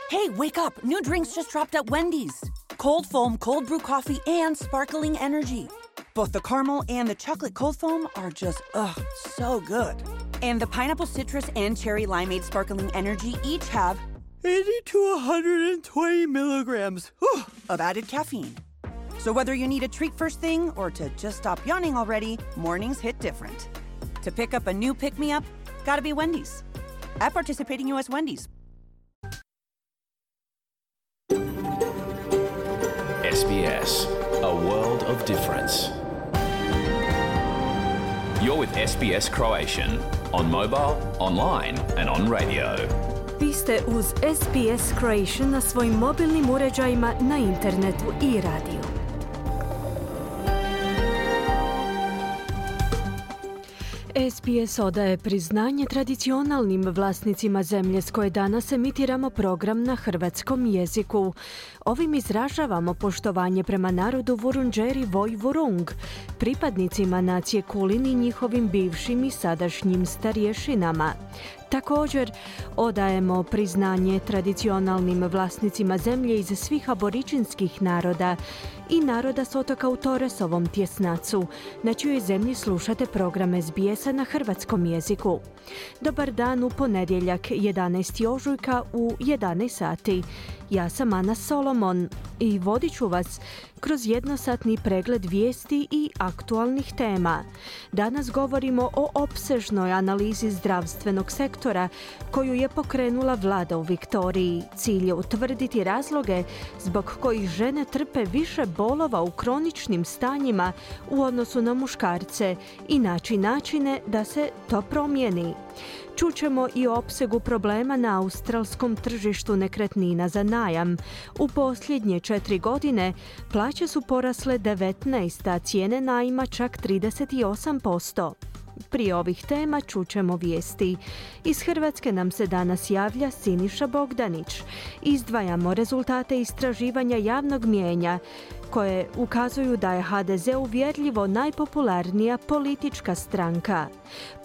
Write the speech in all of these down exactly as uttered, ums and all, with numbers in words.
Hey, wake up! New drinks just dropped at Wendy's. Cold foam, cold brew coffee, and sparkling energy. Both the caramel and the chocolate cold foam are just, ugh, so good. And the pineapple citrus and cherry limeade sparkling energy each have eighty to one hundred twenty milligrams whew, of added caffeine. So whether you need a treat first thing or to just stop yawning already, mornings hit different. To pick up a new pick-me-up, gotta be Wendy's. At participating U S Wendy's. S B S, a world of difference. You're with S B S Croatian on mobile, online and on radio. Vi ste uz S B S Croatian na svojim mobilnim uređajima, na internetu i radiju. S B S odaje priznanje tradicionalnim vlasnicima zemlje s koje danas emitiramo program na hrvatskom jeziku. Ovim izražavamo poštovanje prema narodu Vurundjeri Woi Wurrung, pripadnicima nacije Kulin i njihovim bivšim i sadašnjim starješinama. Također, odajemo priznanje tradicionalnim vlasnicima zemlje iz svih aboričinskih naroda i naroda s otoka u Torresovom tjesnacu, na čijoj zemlji slušate program S B S-a na hrvatskom jeziku. Dobar dan u ponedjeljak, jedanaestog ožujka u jedanaest sati. Ja sam Ana Solomon i vodit ću vas kroz jednosatni pregled vijesti i aktualnih tema. Danas govorimo o opsežnoj analizi zdravstvenog sektora koju je pokrenula vlada u Viktoriji. Cilj je utvrditi razloge zbog kojih žene trpe više bolova u kroničnim stanjima u odnosu na muškarce i naći načine da se to promijeni. Čućemo i o opsegu problema na australskom tržištu nekretnina za najam. U posljednje četiri godine plaće su porasle devetnaest, a cijene najma čak trideset osam posto. Prije ovih tema čućemo vijesti. Iz Hrvatske nam se danas javlja Siniša Bogdanić. Izdvajamo rezultate istraživanja javnog mnijenja koje ukazuju da je H D Z uvjerljivo najpopularnija politička stranka.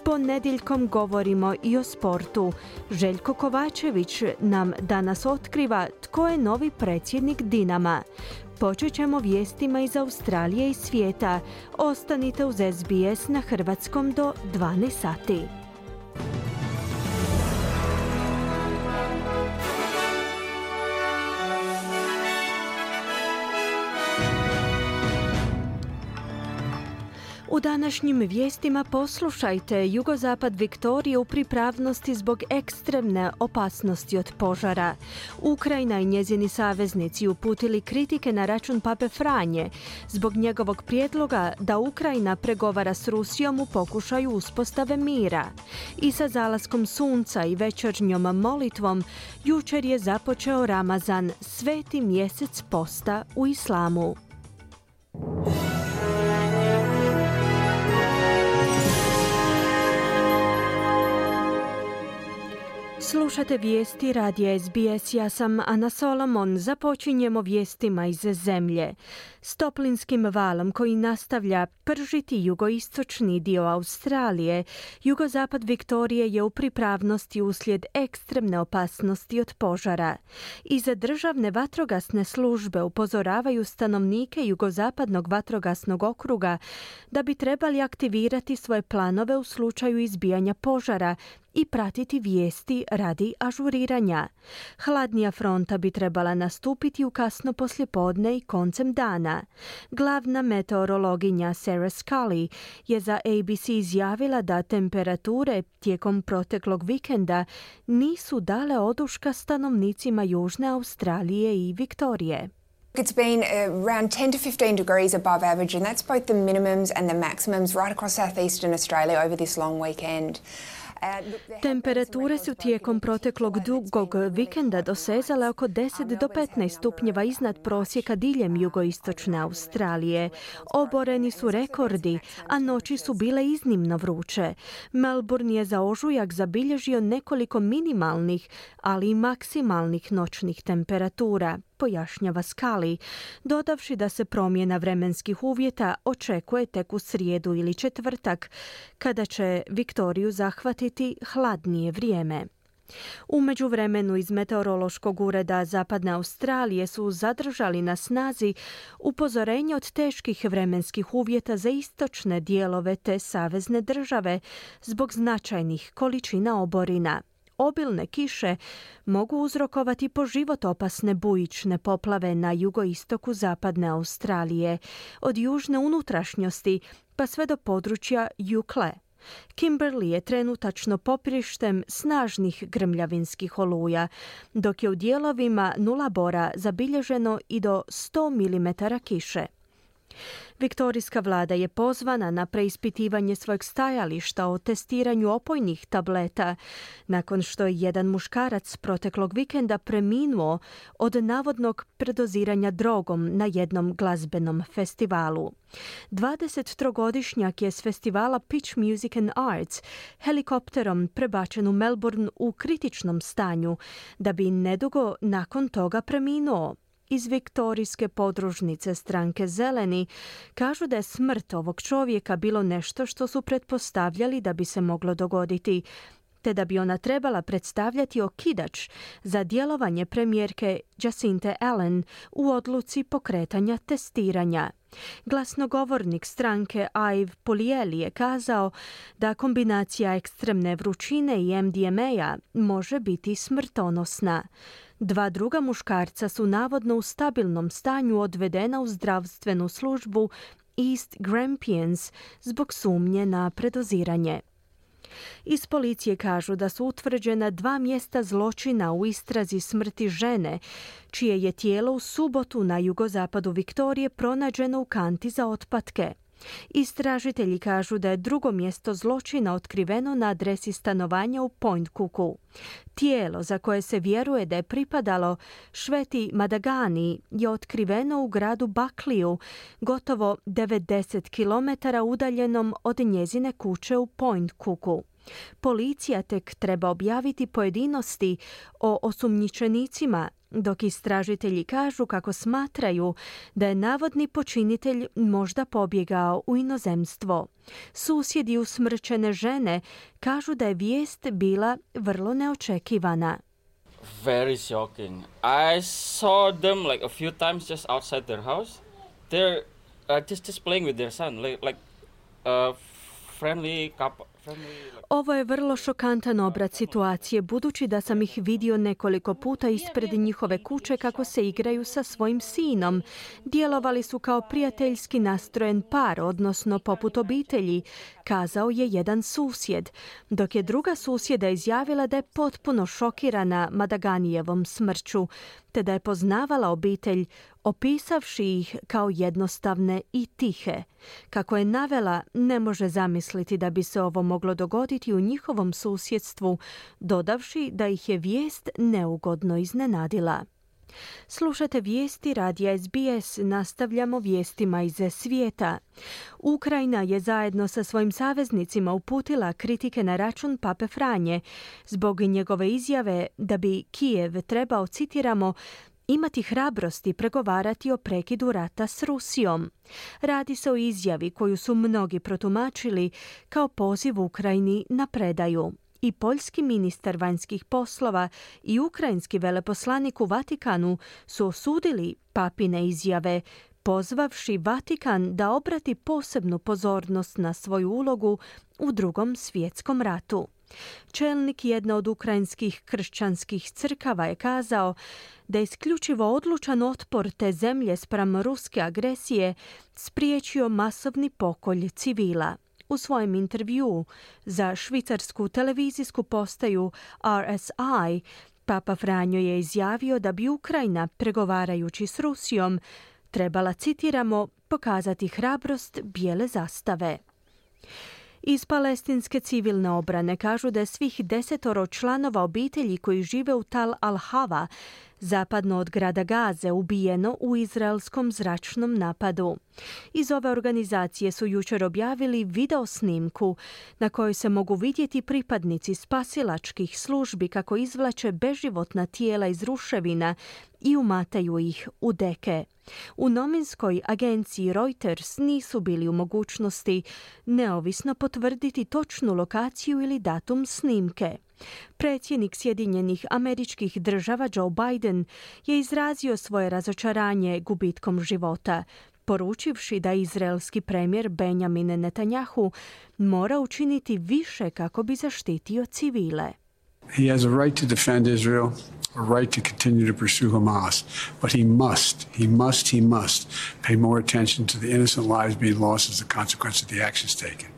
Ponedjeljkom govorimo i o sportu. Željko Kovačević nam danas otkriva tko je novi predsjednik Dinama. Počet ćemo vijestima iz Australije i svijeta. Ostanite uz S B S na hrvatskom do dvanaest sati. U današnjim vijestima poslušajte: jugozapad Viktorije u pripravnosti zbog ekstremne opasnosti od požara. Ukrajina i njezini saveznici uputili kritike na račun Pape Franje zbog njegovog prijedloga da Ukrajina pregovara s Rusijom u pokušaju uspostave mira. I sa zalaskom sunca i večernjom molitvom jučer je započeo Ramazan, sveti mjesec posta u islamu. Slušate vijesti radija S B S, ja sam Ana Solomon. Započinjemo vijestima iz zemlje. S toplinskim valom koji nastavlja pržiti jugoistočni dio Australije, jugozapad Viktorije je u pripravnosti uslijed ekstremne opasnosti od požara. Iz državne vatrogasne službe upozoravaju stanovnike jugozapadnog vatrogasnog okruga da bi trebali aktivirati svoje planove u slučaju izbijanja požara i pratiti vijesti radi ažuriranja. Hladnija fronta bi trebala nastupiti u kasno poslijepodne i koncem dana. Glavna meteorologinja Sarah Scully je za A B C izjavila da temperature tijekom proteklog vikenda nisu dale oduška stanovnicima Južne Australije i Viktorije. It's been around ten to fifteen degrees above average, and that's both the minimums and the maximums right across southeastern Australia over this long weekend. Temperature su tijekom proteklog dugog vikenda dosezale oko deset do petnaest stupnjeva iznad prosjeka diljem jugoistočne Australije. Oboreni su rekordi, a noći su bile iznimno vruće. Melbourne je za ožujak zabilježio nekoliko minimalnih, ali i maksimalnih noćnih temperatura, pojašnjava Scully, dodavši da se promjena vremenskih uvjeta očekuje tek u srijedu ili četvrtak, kada će Viktoriju zahvatiti hladnije vrijeme. U međuvremenu iz Meteorološkog ureda Zapadne Australije su zadržali na snazi upozorenje od teških vremenskih uvjeta za istočne dijelove te savezne države zbog značajnih količina oborina. Obilne kiše mogu uzrokovati po život opasne bujične poplave na jugoistoku Zapadne Australije, od južne unutrašnjosti pa sve do područja Yukle. Kimberley je trenutačno poprištem snažnih grmljavinskih oluja, dok je u dijelovima Nullarbora zabilježeno i do sto milimetara kiše. Viktorijska vlada je pozvana na preispitivanje svojeg stajališta o testiranju opojnih tableta nakon što je jedan muškarac proteklog vikenda preminuo od navodnog predoziranja drogom na jednom glazbenom festivalu. dvadesettrogodišnjak je s festivala Pitch Music and Arts helikopterom prebačen u Melbourne u kritičnom stanju, da bi nedugo nakon toga preminuo. Iz viktorijske podružnice stranke Zeleni kažu da je smrt ovog čovjeka bilo nešto što su pretpostavljali da bi se moglo dogoditi, te da bi ona trebala predstavljati okidač za djelovanje premijerke Jacinthe Allen u odluci pokretanja testiranja. Glasnogovornik stranke Ive Puljeli je kazao da kombinacija ekstremne vrućine i em de em a može biti smrtonosna. Dva druga muškarca su navodno u stabilnom stanju odvedena u zdravstvenu službu East Grampians zbog sumnje na predoziranje. Iz policije kažu da su utvrđena dva mjesta zločina u istrazi smrti žene, čije je tijelo u subotu na jugozapadu Viktorije pronađeno u kanti za otpatke. Istražitelji kažu da je drugo mjesto zločina otkriveno na adresi stanovanja u Point Cooku. Tijelo, za koje se vjeruje da je pripadalo Šveti Madagani, je otkriveno u gradu Buckley, gotovo devedeset kilometara udaljenom od njezine kuće u Point Cooku. Policija tek treba objaviti pojedinosti o osumnjičenicima, dok istražitelji kažu kako smatraju da je navodni počinitelj možda pobjegao u inozemstvo. Susjedi usmrćene žene kažu da je vijest bila vrlo neočekivana. Very shocking. I saw them like a few times just outside their house. They're uh, just just playing with their son, like like a friendly couple. Ovo je vrlo šokantan obrat situacije, budući da sam ih vidio nekoliko puta ispred njihove kuće kako se igraju sa svojim sinom. Djelovali su kao prijateljski nastrojen par, odnosno poput obitelji, kazao je jedan susjed, dok je druga susjeda izjavila da je potpuno šokirana Madaganijevom smrću, te da je poznavala obitelj, opisavši ih kao jednostavne i tihe. Kako je navela, ne može zamisliti da bi se ovo moglo dogoditi u njihovom susjedstvu, dodavši da ih je vijest neugodno iznenadila. Slušate vijesti radija es be es, nastavljamo vijestima iz svijeta. Ukrajina je zajedno sa svojim saveznicima uputila kritike na račun Pape Franje zbog njegove izjave da bi Kijev trebao, citiramo, imati hrabrosti pregovarati o prekidu rata s Rusijom. Radi se o izjavi koju su mnogi protumačili kao poziv Ukrajini na predaju. I poljski ministar vanjskih poslova i ukrajinski veleposlanik u Vatikanu su osudili papine izjave, pozvavši Vatikan da obrati posebnu pozornost na svoju ulogu u Drugom svjetskom ratu. Čelnik jedne od ukrajinskih kršćanskih crkava je kazao da je isključivo odlučan otpor te zemlje spram ruske agresije spriječio masovni pokolj civila. U svojem intervjuu za švicarsku televizijsku postaju R S I, Papa Franjo je izjavio da bi Ukrajina, pregovarajući s Rusijom, trebala, citiramo, pokazati hrabrost bijele zastave. Iz palestinske civilne obrane kažu da je svih desetoro članova obitelji koji žive u Tal al-Hava, zapadno od grada Gaze, ubijeno u izraelskom zračnom napadu. Iz ove organizacije su jučer objavili video snimku na kojoj se mogu vidjeti pripadnici spasilačkih službi kako izvlače beživotna tijela iz ruševina i umataju ih u deke. U novinskoj agenciji Reuters nisu bili u mogućnosti neovisno potvrditi točnu lokaciju ili datum snimke. Predsjednik Sjedinjenih Američkih Država Joe Biden je izrazio svoje razočaranje gubitkom života, poručivši da izraelski premijer Benjamin Netanyahu mora učiniti više kako bi zaštitio civile. He has a right to defend Israel, a right to continue to pursue Hamas, but he must, he must, he must pay more attention to the innocent lives being lost as a consequence of the actions taken.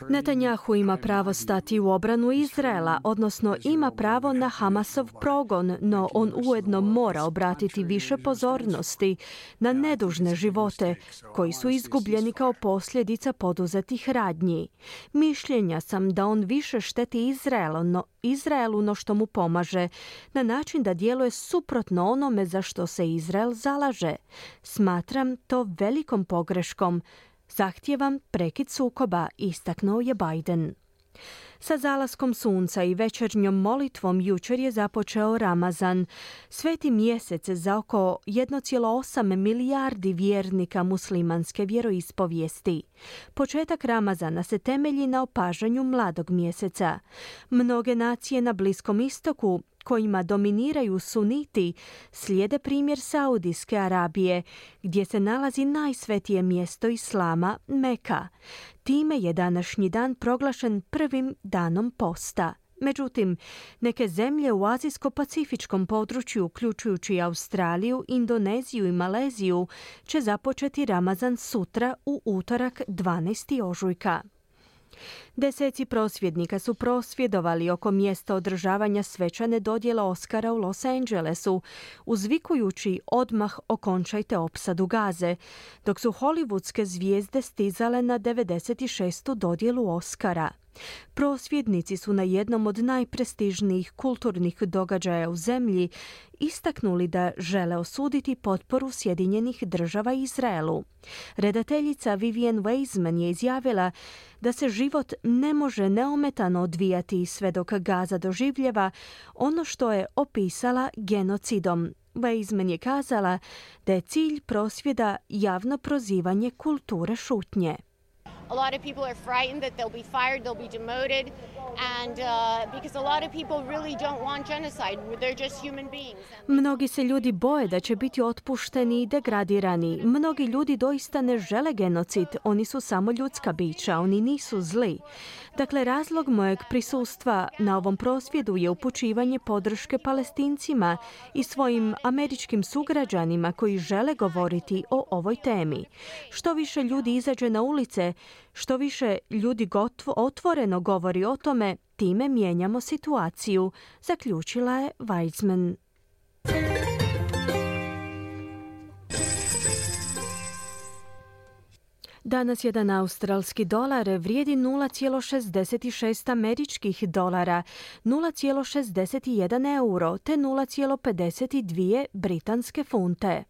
Netanyahu ima pravo stati u obranu Izraela, odnosno ima pravo na Hamasov progon, no on ujedno mora obratiti više pozornosti na nedužne živote koji su izgubljeni kao posljedica poduzetih radnji. Mišljenja sam da on više šteti Izraelu, no, Izraelu no što mu pomaže, na način da djeluje suprotno onome za što se Izrael zalaže. Smatram to velikom pogreškom. Zahtijevam prekid sukoba, istaknuo je Biden. Sa zalaskom sunca i večernjom molitvom jučer je započeo Ramazan, sveti mjesec za oko jedan zarez osam milijardi vjernika muslimanske vjeroispovijesti. Početak Ramazana se temelji na opažanju mladog mjeseca. Mnoge nacije na Bliskom istoku, kojima dominiraju suniti, slijede primjer Saudijske Arabije, gdje se nalazi najsvetije mjesto Islama, Meka. Time je današnji dan proglašen prvim danom posta. Međutim, neke zemlje u azijsko-pacifičkom području, uključujući Australiju, Indoneziju i Maleziju, će započeti Ramazan sutra u utorak dvanaestog ožujka. Deseci prosvjednika su prosvjedovali oko mjesta održavanja svečane dodjele Oscara u Los Angelesu, uzvikujući odmah okončajte opsadu Gaze, dok su hollywoodske zvijezde stizale na devedeset šestu dodjelu Oscara. Prosvjednici su na jednom od najprestižnijih kulturnih događaja u zemlji istaknuli da žele osuditi potporu Sjedinjenih Država Izraelu. Redateljica Vivienne Weizman je izjavila da se život ne može neometano odvijati sve dok Gaza doživljava ono što je opisala genocidom. Weizman je kazala da je cilj prosvjeda javno prozivanje kulture šutnje. A lot of people are frightened that they'll be fired, they'll be demoted, and uh, because a lot of people really don't want genocide. They're just human beings. Mnogi se ljudi boje da će biti otpušteni i degradirani. Mnogi ljudi doista ne žele genocid. Oni su samo ljudska bića, oni nisu zli. Dakle, razlog mojeg prisustva na ovom prosvjedu je upućivanje podrške Palestincima i svojim američkim sugrađanima koji žele govoriti o ovoj temi. Što više ljudi izađe na ulice, što više ljudi gotvo, otvoreno govori o tome, time mijenjamo situaciju, zaključila je Weizman. Danas jedan australski dolar vrijedi nula zarez šezdeset šest američkih dolara, nula zarez šezdeset jedan euro te nula zarez pedeset dvije britanske funte.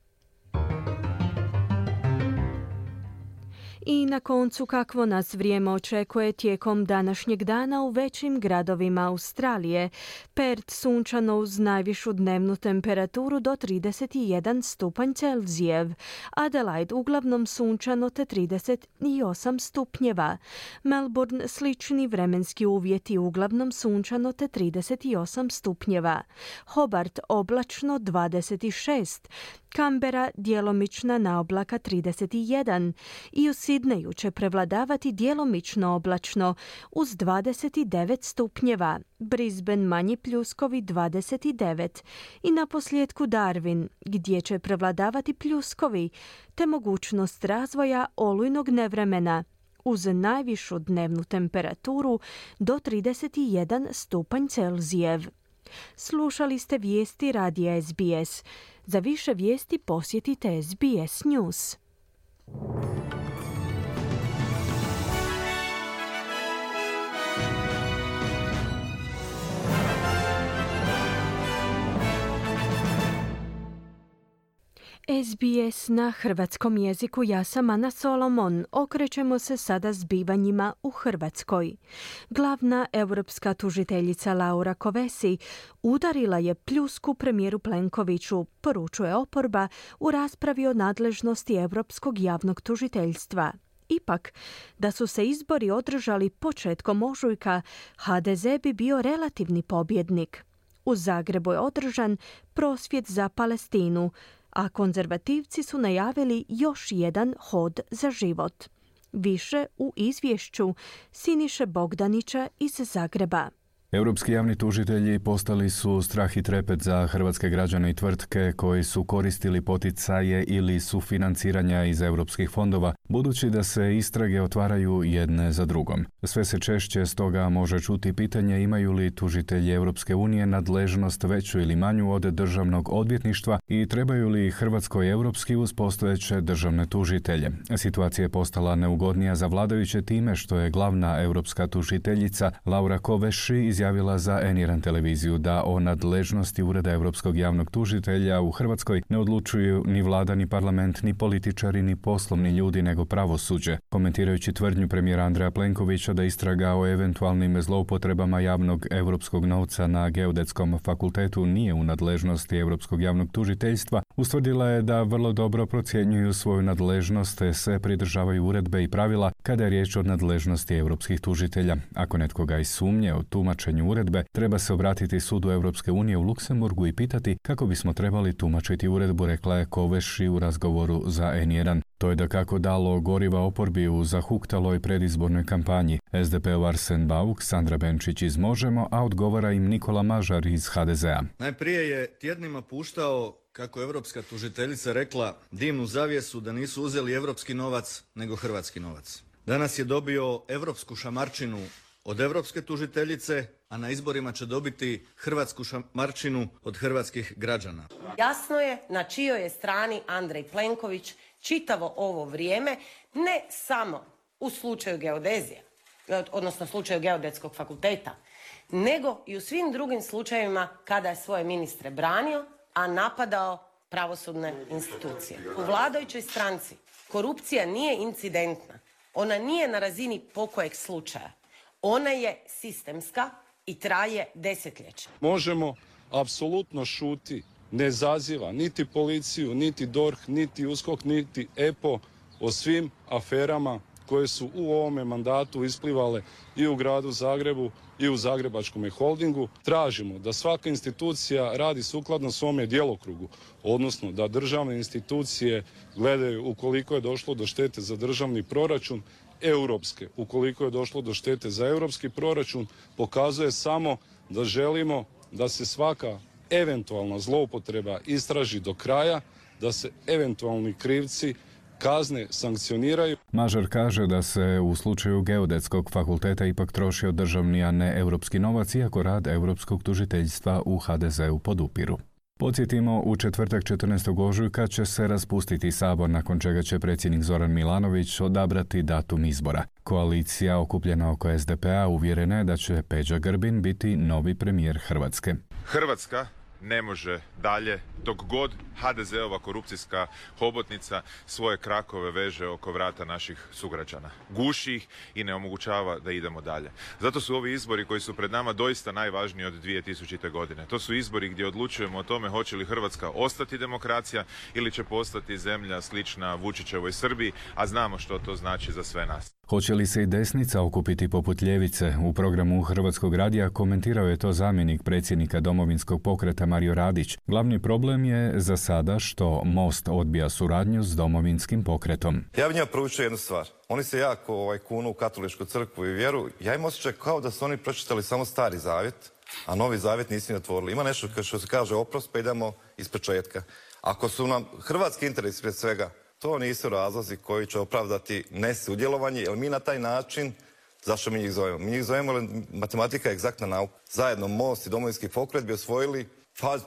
I na koncu kakvo nas vrijeme očekuje tijekom današnjeg dana u većim gradovima Australije. Perth sunčano uz najvišu dnevnu temperaturu do trideset jedan stupanj Celzijev. Adelaide uglavnom sunčano te trideset osam stupnjeva. Melbourne slični vremenski uvjeti uglavnom sunčano te trideset osam stupnjeva. Hobart oblačno dvadeset šest. Canberra djelomična naoblaka trideset jedan i u Sidneju će prevladavati djelomično oblačno uz dvadeset devet stupnjeva, Brisbane manji pljuskovi dvadeset devet i naposljetku Darwin gdje će prevladavati pljuskovi te mogućnost razvoja olujnog nevremena uz najvišu dnevnu temperaturu do trideset jedan stupanj Celzijev. Slušali ste vijesti radija S B S. Za više vijesti posjetite S B S News. S B S na hrvatskom jeziku, ja sam Ana Solomon. Okrećemo se sada zbivanjima u Hrvatskoj. Glavna europska tužiteljica Laura Kovesi udarila je pljusku premijeru Plenkoviću, poručuje oporba u raspravi o nadležnosti Europskog javnog tužiteljstva. Ipak, da su se izbori održali početkom ožujka, ha de ze bi bio relativni pobjednik. U Zagrebu je održan prosvjed za Palestinu, a konzervativci su najavili još jedan hod za život. Više u izvješću Siniše Bogdanića iz Zagreba. Europski javni tužitelji postali su strah i trepet za hrvatske građane i tvrtke koji su koristili poticaje ili sufinanciranja iz europskih fondova, budući da se istrage otvaraju jedne za drugom. Sve se češće stoga može čuti pitanje imaju li tužitelji Europske unije nadležnost veću ili manju od državnog odvjetništva i trebaju li Hrvatskoj europski uz postojeće državne tužitelje. Situacija je postala neugodnija za vladajuće time što je glavna europska tužiteljica Laura Kovesi izjavila za en jedan televiziju da o nadležnosti Ureda Europskog javnog tužitelja u Hrvatskoj ne odlučuju ni vlada, ni parlament, ni političari, ni poslovni ljudi, nego pravosuđe. Komentirajući tvrdnju premijera Andreja Plenkovića da istraga o eventualnim zloupotrebama javnog europskog novca na Geodetskom fakultetu nije u nadležnosti Europskog javnog tužiteljstva, ustvrdila je da vrlo dobro procjenjuju svoju nadležnost te se pridržavaju uredbe i pravila kada je riječ o nadležnosti europskih tužitelja. Ako netko ga i sumnje o tumačenju uredbe, treba se obratiti sudu Europske unije u Luksemburgu i pitati kako bismo trebali tumačiti uredbu, rekla je Kovesi u razgovoru za en jedan. To je dakako dalo goriva oporbi u zahuktaloj predizbornoj kampanji. es de pe-ov Arsen Bauk, Sandra Benčić iz Možemo, a odgovara im Nikola Mažar iz ha de zea. Najprije je tjednima puštao kako je europska tužiteljica rekla dimnu zavjesu da nisu uzeli europski novac nego hrvatski novac. Danas je dobio europsku šamarčinu od europske tužiteljice, a na izborima će dobiti hrvatsku šamarčinu od hrvatskih građana. Jasno je na čijoj je strani Andrej Plenković čitavo ovo vrijeme, ne samo u slučaju geodezije, odnosno slučaju Geodetskog fakulteta, nego i u svim drugim slučajevima kada je svoje ministre branio, a napadao pravosudne institucije. U vladajućoj stranci korupcija nije incidentna, ona nije na razini pokojeg slučaja. Ona je sistemska i traje desetljeće. Možemo apsolutno šuti, ne zaziva niti policiju, niti dorh, niti uskok, niti E P O o svim aferama koje su u ovome mandatu isplivale i u gradu Zagrebu i u Zagrebačkom holdingu. Tražimo da svaka institucija radi sukladno svome djelokrugu, odnosno da državne institucije gledaju ukoliko je došlo do štete za državni proračun, europske, ukoliko je došlo do štete za europski proračun, pokazuje samo da želimo da se svaka eventualna zloupotreba istraži do kraja, da se eventualni krivci kazne sankcioniraju. Mažar kaže da se u slučaju Geodetskog fakulteta ipak trošio državni, a ne europski novac, iako rad Europskog tužiteljstva u ha de zeu podupiru. Podsjetimo, u četvrtak četrnaestog ožujka će se raspustiti sabor, nakon čega će predsjednik Zoran Milanović odabrati datum izbora. Koalicija okupljena oko es de pe-a uvjerena je da će Peđa Grbin biti novi premijer Hrvatske. Hrvatska ne može dalje dok god ha de zeova korupcijska hobotnica svoje krakove veže oko vrata naših sugrađana. Guši ih i ne omogućava da idemo dalje. Zato su ovi izbori koji su pred nama doista najvažniji od dvije tisućite. godine. To su izbori gdje odlučujemo o tome hoće li Hrvatska ostati demokracija ili će postati zemlja slična Vučićevoj Srbiji, a znamo što to znači za sve nas. Hoće li se i desnica okupiti poput ljevice? U programu Hrvatskog radija komentirao je to zamjenik predsjednika Domovinskog pokreta Mario Radić. Glavni problem je za sada što Most odbija suradnju s Domovinskim pokretom. Ja bih njima poručio jednu stvar. Oni se jako ovaj, kunu u katoličku crkvu i vjeru. Ja im osjećaj kao da su oni pročitali samo Stari zavjet, a Novi zavjet nisu ni otvorili. Ima nešto što se kaže oprost, pa idemo ispočetka. Ako su nam hrvatski interesi prije svega, to nisu razlozi koji će opravdati nesudjelovanje, jer mi na taj način, zašto mi njih zovemo? Mi njih zovemo jer matematika je egzaktna nauka. Zajedno Most i Domovinski pokret bi osvojili, pa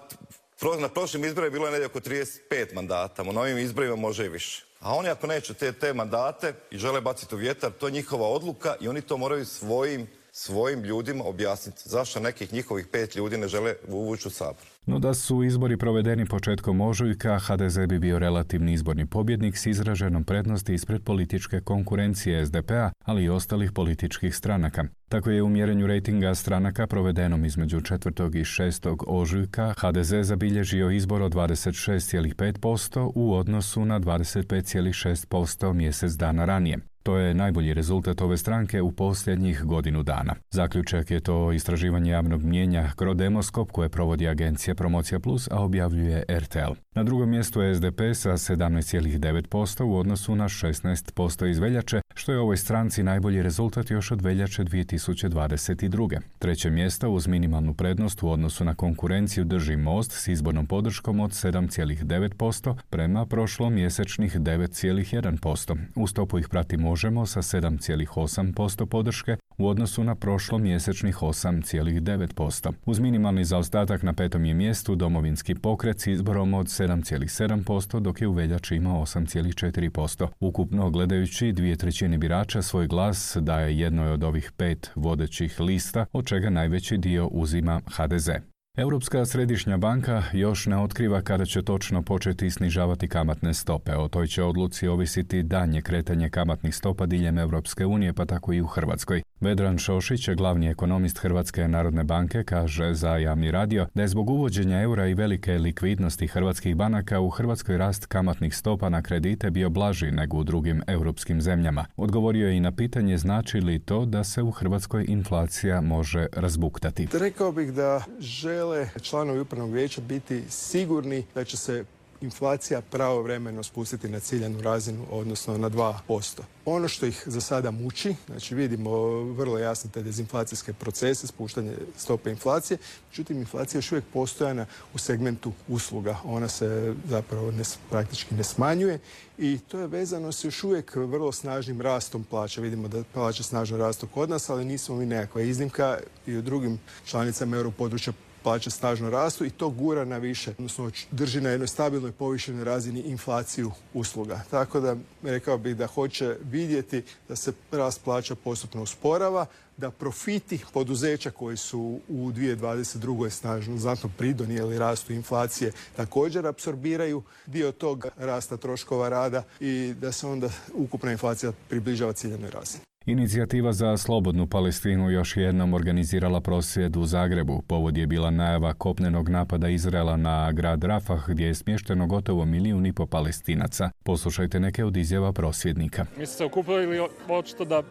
na prošlim izborima je bilo negdje oko trideset pet mandata, na novim izborima može i više. A oni ako neće te, te mandate i žele baciti u vjetar, to je njihova odluka i oni to moraju svojim, svojim ljudima objasniti. Zašto nekih njihovih pet ljudi ne žele uvući u sabor? No da su izbori provedeni početkom ožujka, ha de ze bi bio relativni izborni pobjednik s izraženom prednosti ispred političke konkurencije es de pe-a, ali i ostalih političkih stranaka. Tako je u mjerenju rejtinga stranaka provedenom između četvrtog i šestog ožujka ha de ze zabilježio izbor od dvadeset šest zarez pet posto u odnosu na dvadeset pet zarez šest posto mjesec dana ranije. To je najbolji rezultat ove stranke u posljednjih godinu dana. Zaključak je to istraživanje javnog mnijenja Crodemoskop koje provodi agencija Promocija Plus, a objavljuje R T L. Na drugom mjestu je S D P sa sedamnaest zarez devet posto u odnosu na šesnaest posto iz veljače, što je ovoj stranci najbolji rezultat još od veljače dvije tisuće dvadeset druge. Treće mjesto uz minimalnu prednost u odnosu na konkurenciju drži Most s izbornom podrškom od sedam zarez devet posto prema prošlomjesečnih devet zarez jedan posto. U stopu ih prati Možemo sa sedam zarez osam posto podrške u odnosu na prošlomjesečnih osam zarez devet posto. Uz minimalni zaostatak na petom je mjestu Domovinski pokret s izborom od sedam zarez sedam posto, dok je u veljači imao osam zarez četiri posto. Ukupno gledajući, dvije trećine birača svoj glas daje jednoj od ovih pet vodećih lista, od čega najveći dio uzima H D Z. Europska središnja banka još ne otkriva kada će točno početi snižavati kamatne stope. O toj će odluci ovisiti daljnje kretanje kamatnih stopa diljem Europske unije, pa tako i u Hrvatskoj. Vedran Šošić, glavni ekonomist Hrvatske narodne banke, kaže za Javni radio da je zbog uvođenja eura i velike likvidnosti hrvatskih banaka u Hrvatskoj rast kamatnih stopa na kredite bio blaži nego u drugim europskim zemljama. Odgovorio je i na pitanje znači li to da se u Hrvatskoj inflacija može razbuktati. Rekao bih da žele članovi upravnog vijeća biti sigurni da će se inflacija pravovremeno spustiti na ciljanu razinu, odnosno na dva posto. Ono što ih za sada muči, znači vidimo vrlo jasno te dezinflacijske procese, spuštanje stope inflacije, međutim inflacija je još uvijek postojana u segmentu usluga. Ona se zapravo ne, praktički ne smanjuje i to je vezano s još uvijek vrlo snažnim rastom plaća. Vidimo da plaće snažno rastu kod nas, ali nismo mi nekakva iznimka i u drugim članicama europodručja plaće snažno rastu i to gura na više, odnosno drži na jednoj stabilnoj povišenoj razini inflaciju usluga. Tako da rekao bih da hoće vidjeti da se rast plaća postupno usporava, da profiti poduzeća koji su u dvije tisuće dvadeset druge snažno znatno pridonijeli rastu inflacije također apsorbiraju dio tog rasta troškova rada i da se onda ukupna inflacija približava ciljanoj razini. Inicijativa za slobodnu Palestinu još jednom organizirala prosvjed u Zagrebu. Povod je bila najava kopnenog napada Izraela na grad Rafah, gdje je smješteno gotovo milijun i po Palestinaca. Poslušajte neke od izjava prosvjednika. Mi smo se okupili očito da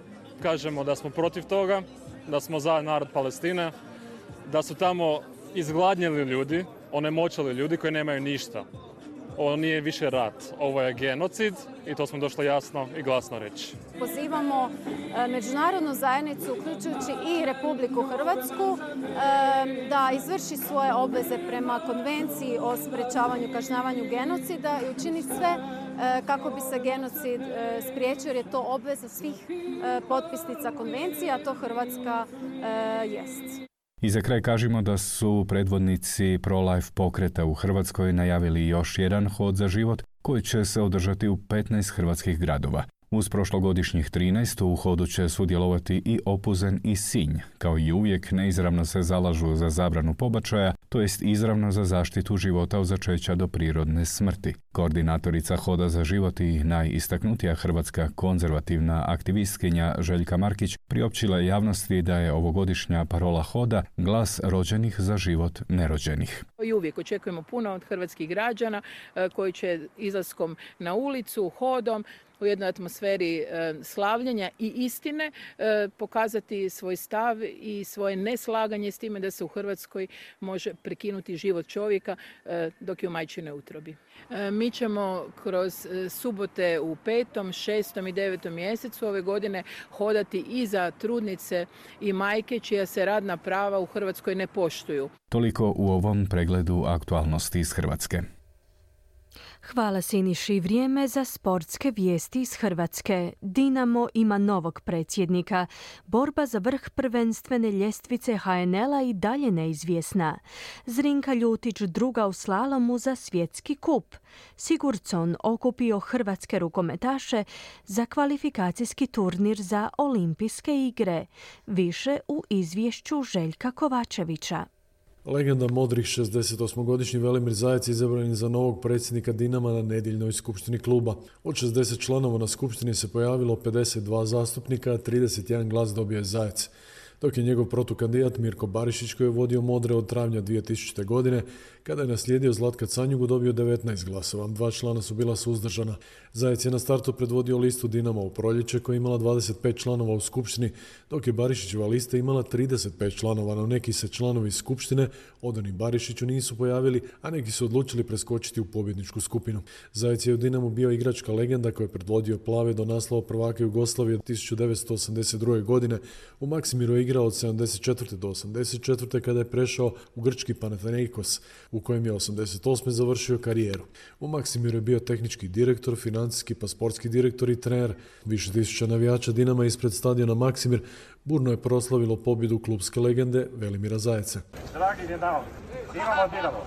kažemo da smo protiv toga, da smo za narod Palestine, da su tamo izgladnjeli ljudi, onemoćali ljudi koji nemaju ništa. Ovo nije više rat, ovo je genocid i to smo došli jasno i glasno reći. Pozivamo međunarodnu zajednicu, uključujući i Republiku Hrvatsku, da izvrši svoje obveze prema konvenciji o sprečavanju, kažnjavanju genocida i učini sve kako bi se genocid spriječio, jer je to obveza svih potpisnica konvencije, a to Hrvatska jest. I za kraj kažemo da su predvodnici pro-life pokreta u Hrvatskoj najavili još jedan hod za život koji će se održati u petnaest hrvatskih gradova. Uz prošlogodišnjih trinaest u hodu će sudjelovati i Opuzen i Sinj. Kao i uvijek neizravno se zalažu za zabranu pobačaja, to jest izravno za zaštitu života od začeća do prirodne smrti. Koordinatorica Hoda za život i najistaknutija hrvatska konzervativna aktivistkinja Željka Markić priopćila javnosti da je ovogodišnja parola Hoda glas rođenih za život nerođenih. I uvijek očekujemo puno od hrvatskih građana koji će izlaskom na ulicu, hodom, u jednoj atmosferi e, slavljenja i istine e, pokazati svoj stav i svoje neslaganje s time da se u Hrvatskoj može prekinuti život čovjeka e, dok je u majčinoj utrobi. E, mi ćemo kroz e, subote u petom, šestom i devetom mjesecu ove godine hodati i za trudnice i majke čija se radna prava u Hrvatskoj ne poštuju. Toliko u ovom pregledu aktualnosti iz Hrvatske. Hvala Siniši. Vrijeme za sportske vijesti iz Hrvatske. Dinamo ima novog predsjednika. Borba za vrh prvenstvene ljestvice H N L-a i dalje neizvjesna. Zrinka Ljutić druga u slalomu za svjetski kup. Sigurdsson okupio hrvatske rukometaše za kvalifikacijski turnir za olimpijske igre. Više u izvješću Željka Kovačevića. Legenda modrih šezdesetosmogodišnji Velimir Zajec izabran je za novog predsjednika Dinama na nedjeljnoj skupštini kluba. Od šezdeset članova na skupštini se pojavilo pedeset dva zastupnika, a trideset jedan glas dobio je Zajec. Dok je njegov protukandidat Mirko Barišić, koji je vodio modre od travnja dvije tisućite. godine, kada je naslijedio Zlatka Canjugu, dobio devetnaest glasova. Dva člana su bila suzdržana. Zajec je na startu predvodio listu Dinama u proljeće koja je imala dvadeset pet članova u skupštini, dok je Barišićeva lista imala trideset pet članova, no neki se članovi skupštine odani Barišiću nisu pojavili, a neki su odlučili preskočiti u pobjedničku skupinu. Zajec je u Dinamu bio igračka legenda koja je predvodio plave do naslova prvaka Jugoslavije od tisuću devetsto osamdeset druge. godine. U Maksimiru je igrao od sedamdeset četvrte do osamdeset četvrte kada je prešao u grčki Panathinaikos, u kojem je osamdeset osme završio karijeru. U Maksimiru je bio tehnički direktor, financijski pa sportski direktor i trener. Više tisuća navijača Dinama ispred stadiona Maksimir burno je proslavilo pobjedu klubske legende Velimira Zajeca. Dragi Dinamo, imamo Dinamo.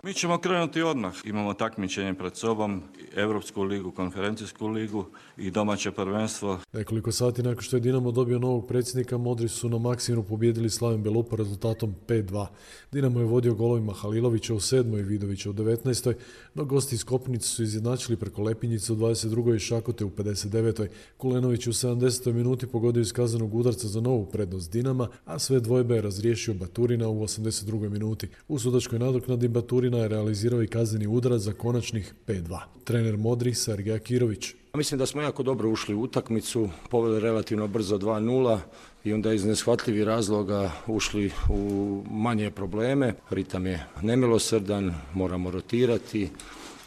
Mi ćemo krenuti odmah. Imamo takmičenje pred sobom, Europsku ligu, konferencijsku ligu i domaće prvenstvo. Nekoliko sati nakon što je Dinamo dobio novog predsjednika, Modri su na Maksimiru pobijedili Slaven Belupa rezultatom pet dva. Dinamo je vodio golovima Halilovića u sedmoj i Vidovića u devetnaestoj, no gosti iz Kopnice su izjednačili preko Lepinjice u dvadeset drugoj i Šakote u pedeset devetoj. Kulenović u sedamdesetoj minuti pogodio iz kaznenog udarca za novu prednost Dinama, a sve dvojbe je razriješio Baturina u osamdeset drugoj minuti. U sudačkoj nadoknadi Baturina je realizirao i kazneni udarac za konačnih pet dva. Trener Modri Sergej Akirović. Mislim da smo jako dobro ušli u utakmicu, poveli relativno brzo dva nula i onda iz neshvatljivih razloga ušli u manje probleme. Ritam je nemilosrdan, moramo rotirati,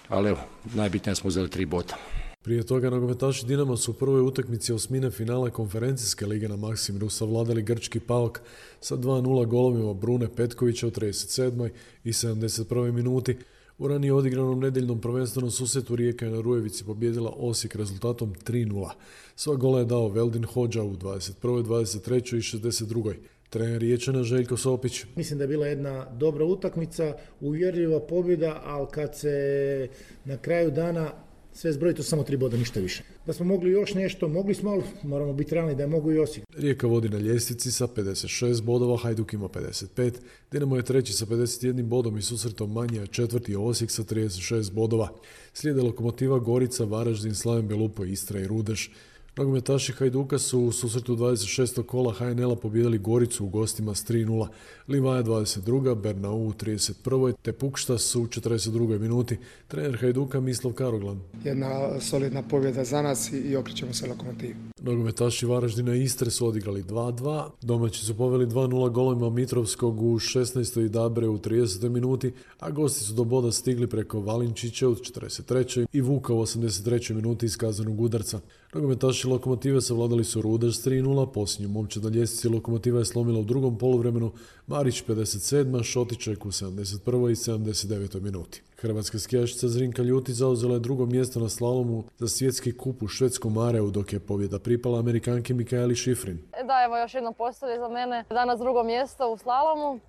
ali evo, najbitnije smo uzeli tri boda. Prije toga nogometaši Dinama su u prvoj utakmici osmine finala konferencijske lige na Maksimiru savladali grčki Paok sa dva nula golovima Brune Petkovića u trideset sedmoj i sedamdeset prvoj minuti. U ranije odigranom nedjeljnom prvenstvenom susretu Rijeka je na Rujevici pobijedila Osijek rezultatom tri nula. Sva gola je dao Veldin Hodža u dvadeset prvoj, dvadeset trećoj i šezdeset drugoj. Trener Riječana Željko Sopić. Mislim da je bila jedna dobra utakmica, uvjerljiva pobjeda, ali kad se na kraju dana sve zbroji, to samo tri boda, ništa više. Da smo mogli još nešto, mogli smo, ali moramo biti realni da je mogu i Osijek. Rijeka vodi na ljestvici sa pedeset šest bodova, Hajduk ima pedeset pet, Dinamo je treći sa pedeset jednim bodom i susretom manje, a četvrti je Osijek sa trideset šest bodova. Slijede Lokomotiva, Gorica, Varaždin, Slaven Belupo, Istra i Rudeš. Nogometaši Hajduka su u susretu dvadeset šestog kola ha en el-a pobijedili Goricu u gostima s tri nula. Livaja dvadeset druga, Bernau u trideset prvoj te Pukštas u četrdeset drugoj minuti. Trener Hajduka Mislav Karoglan. Jedna solidna pobjeda za nas i okrećemo se Lokomotivi. Nogometaši Varaždina i Istre su odigrali dva dva. Domaći su poveli dva nula golovima Mitrovskog u šesnaestoj i Dabre u tridesetoj minuti, a gosti su do boda stigli preko Valinčića u četrdeset trećoj i Vuka u osamdeset trećoj minuti iz kaznenog udarca. Nogometaši Lokomotive savladali su Rudeš s tri nula, posljednju momčad na ljestvici Lokomotiva je slomila u drugom poluvremenu, Marić pedeset sedma, Šotiček u sedamdeset prvoj i sedamdeset devetoj minuti. Hrvatska skijašica Zrinka Ljuti zauzela je drugo mjesto na slalomu za svjetski kup u švedskom Mareu, dok je pobjeda pripala Amerikanki Mikaeli Šifrin. Da, evo još jedno postavlje za mene. Danas drugo mjesto u slalomu.